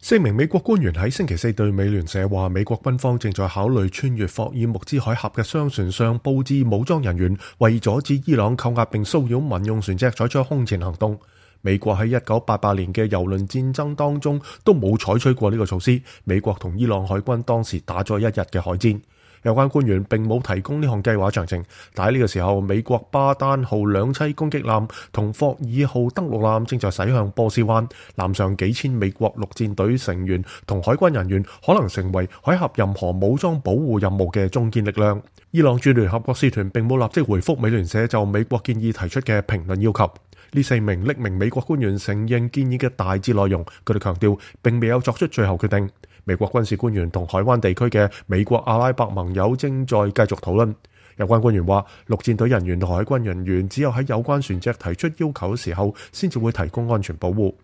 4名美國官員喺星期四對美聯社話，美國軍方正在考慮穿越霍爾木茲海峽嘅商船上佈置武裝人員，為阻止伊朗扣押並騷擾民用船隻採取空前行動。美國喺1988年嘅油輪戰爭當中都冇採取過呢個措施。美國同伊朗海軍當時打咗一日嘅海戰。有關官員並冇提供呢項計劃詳情，但喺呢個時候，美國巴丹號兩棲攻擊艦同霍爾號登陸艦正在駛向波斯灣，艦上幾千美國陸戰隊成員同海軍人員可能成為海峽任何武裝保護任務嘅中堅力量。伊朗駐聯合國使團並冇立即回覆美聯社就美國建議提出嘅評論要求。呢4名匿名美國官員承認建議嘅大致內容，佢哋強調並未有作出最後決定。美國軍事官員同海灣地區嘅美國阿拉伯盟友正在繼續討論。有關官員話，陸戰隊人員同海軍人員只有喺有關船隻提出要求嘅時候，先至會提供安全保護。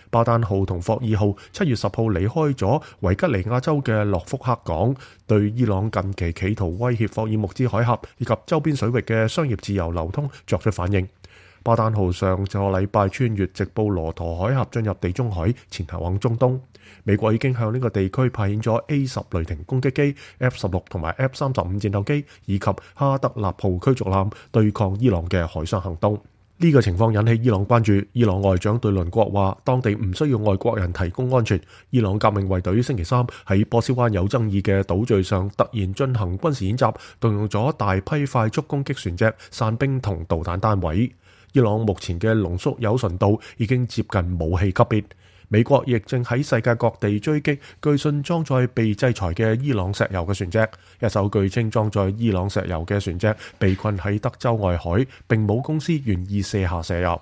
巴丹號同霍爾號7月10號離開咗維吉尼亞州嘅諾福克港，對伊朗近期企圖威脅霍爾木茲海峽以及周邊水域嘅商業自由流通作出反應。巴丹號上個禮拜穿越直布羅陀海峽進入地中海，前行往中東。美國已經向呢個地區派遣咗 A-10雷霆攻擊機、F-16同埋 F-35戰鬥機以及哈德納號驅逐艦對抗伊朗嘅海上行動。呢個情況引起伊朗關注。伊朗外長對鄰國話，當地唔需要外國人提供安全。伊朗革命衛隊星期三喺波斯灣有爭議嘅島嶼上突然進行軍事演習，動用咗大批快速攻擊船隻、傘兵同導彈單位。伊朗目前嘅濃縮鈾純度已經接近武器級別。美國亦正喺世界各地追擊據信裝載被制裁嘅伊朗石油嘅船隻。一艘據稱裝載伊朗石油嘅船隻被困喺德州外海，並冇公司願意卸下石油。